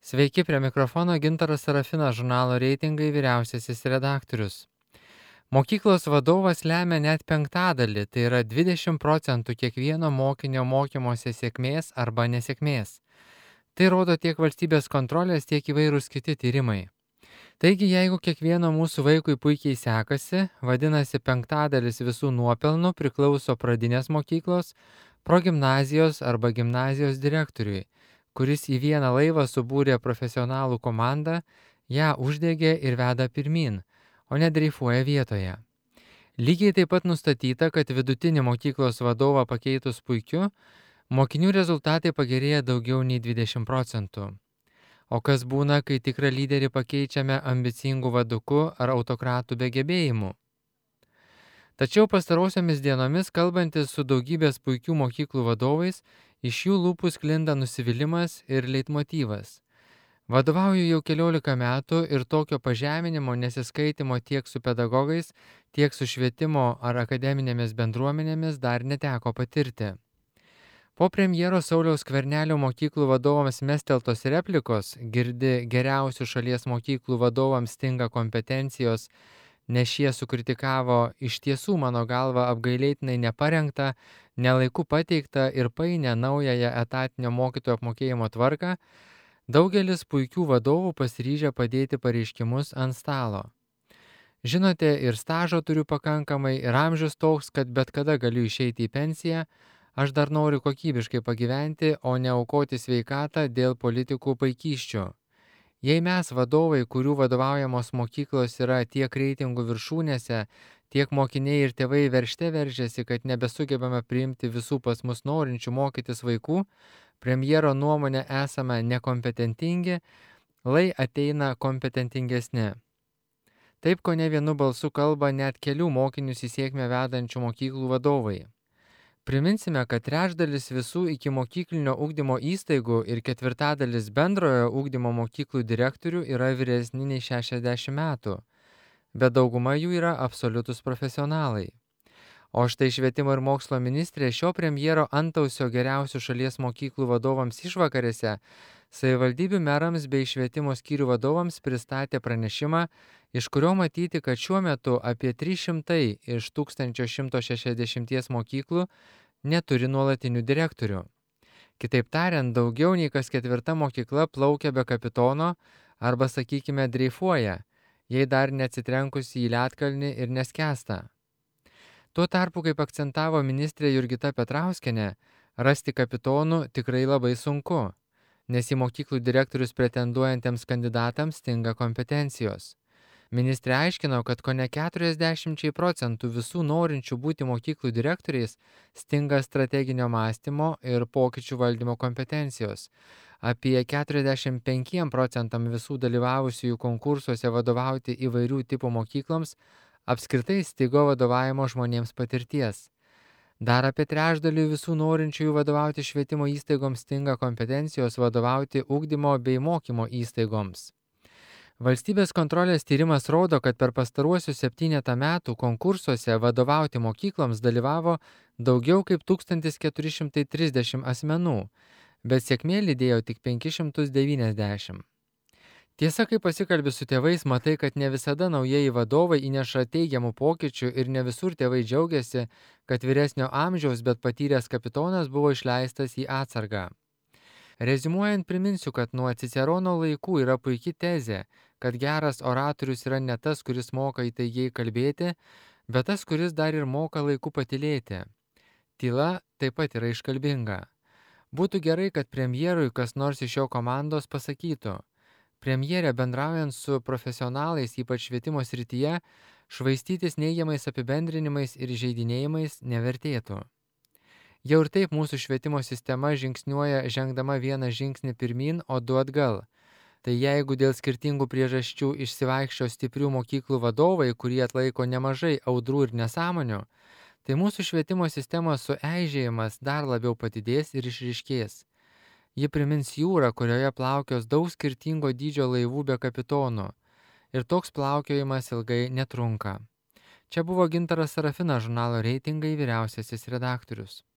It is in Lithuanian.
Sveiki, prie mikrofono Gintaras Sarafinas, žurnalo reitingai vyriausiasis redaktorius. Mokyklos vadovas lemia net penktadalį, tai yra 20% kiekvieno mokinio mokymosi sėkmės arba nesėkmės. Tai rodo tiek valstybės kontrolės, tiek įvairūs kiti tyrimai. Taigi, jeigu kiekvieno mūsų vaikui puikiai sekasi, vadinasi penktadalis visų nuopelnų priklauso pradinės mokyklos, progimnazijos arba gimnazijos direktoriui, kuris į vieną laivą subūrė profesionalų komandą, ją uždegė ir veda pirmyn, o ne dreifuoja vietoje. Lygiai taip pat nustatyta, kad vidutinį mokyklos vadovą pakeitus puikiu, mokinių rezultatai pagerėja daugiau nei 20%. O kas būna, kai tikrą lyderį pakeičiame ambicingų vaduku ar autokratų be gebėjimų? Tačiau pastarosiomis dienomis, kalbantis su daugybės puikių mokyklų vadovais, iš jų lūpų sklinda nusivylimas ir leitmotyvas. Vadovauju jau 14 metų ir tokio pažeminimo, nesiskaitimo tiek su pedagogais, tiek su švietimo ar akademinėmis bendruomenėmis dar neteko patirti. Po premjero Sauliaus Skvernelio mokyklų vadovams mesteltos replikos, girdi geriausių šalies mokyklų vadovams stinga kompetencijos, nes šie sukritikavo iš tiesų mano galva apgailėtinai neparengtą, nelaiku pateiktą ir painę naująją etatinio mokytojų apmokėjimo tvarką, daugelis puikių vadovų pasiryžę padėti pareiškimus ant stalo. Žinote, ir stažo turiu pakankamai, ir amžius toks, kad bet kada galiu išeiti į pensiją, aš dar noriu kokybiškai pagyventi, o ne aukoti sveikatą dėl politikų paikysčių. Jei mes vadovai, kurių vadovaujamos mokyklos yra tiek reitingų viršūnėse, tiek mokiniai ir tėvai veržte veržiasi, kad nebesugebame priimti visų pas mus norinčių mokytis vaikų, premjero nuomonė esame nekompetentingi, lai ateina kompetentingesni. Taip, ko ne vienu balsu kalba net kelių mokinius į sėkmę vedančių mokyklų vadovai. Priminsime, kad trečdalis visų ikimokyklinio ugdymo įstaigų ir ketvirtadalis bendrojo ugdymo mokyklų direktorių yra vyresni nei 60 metų, bet dauguma jų yra absoliutus profesionalai. O štai švietimo ir mokslo ministrė šio premjero antausio geriausių šalies mokyklų vadovams išvakarėse savivaldybių merams bei švietimo skyrių vadovams pristatė pranešimą, iš kurio matyti, kad šiuo metu apie 300 iš 1160 mokyklų neturi nuolatinių direktorių. Kitaip tariant, daugiau nei kas ketvirta mokykla plaukia be kapitono arba, sakykime, dreifuoja, jei dar neatsitrenkusi į ledkalnį ir neskęsta. Tuo tarpu, kaip akcentavo ministrė Jurgita Petrauskienė, rasti kapitonų tikrai labai sunku, nes į mokyklų direktorius pretenduojantiems kandidatams stinga kompetencijos. Ministrė aiškino, kad kone 40% visų norinčių būti mokyklų direktoriais stinga strateginio mąstymo ir pokyčių valdymo kompetencijos. Apie 45% visų dalyvavusiųjų konkursuose vadovauti įvairių tipų mokykloms apskritai stigo vadovavimo žmonėms patirties. Dar apie trečdalį visų norinčiųjų vadovauti švietimo įstaigoms stinga kompetencijos vadovauti ugdymo bei mokymo įstaigoms. Valstybės kontrolės tyrimas rodo, kad per pastaruosius 7 metų konkursuose vadovauti mokykloms dalyvavo daugiau kaip 1430 asmenų, bet sėkmė lydėjo tik 590. Tiesa, kai pasikalbi su tėvais, matai, kad ne visada naujieji vadovai įneša teigiamų pokyčių ir ne visur tėvai džiaugiasi, kad vyresnio amžiaus, bet patyręs kapitonas buvo išleistas į atsargą. Reziumuojant, priminsiu, kad nuo Cicerono laikų yra puikia tezė, kad geras oratorius yra ne tas, kuris moka įtaigiai kalbėti, bet tas, kuris dar ir moka laiku patylėti. Tyla taip pat yra iškalbinga. Būtų gerai, kad premjerui kas nors iš jo komandos pasakytų: premjerė, bendraujant su profesionalais, ypač švietimo srityje, švaistytis neigiamais apibendrinimais ir įžeidinėjimais nevertėtų. Jau ir taip mūsų švietimo sistema žingsniuoja žengdama vieną žingsnį pirmyn, o 2 atgal. Tai jeigu dėl skirtingų priežasčių išsivaikščio stiprių mokyklų vadovai, kurie atlaiko nemažai audrų ir nesąmonių, tai mūsų švietimo sistemos sueižėjimas dar labiau padidės ir išryškės. Ji primins jūrą, kurioje plaukios daug skirtingo dydžio laivų be kapitonų. Ir toks plaukiojimas ilgai netrunka. Čia buvo Gintaras Sarafinas, žurnalo reitingai vyriausiasis redaktorius.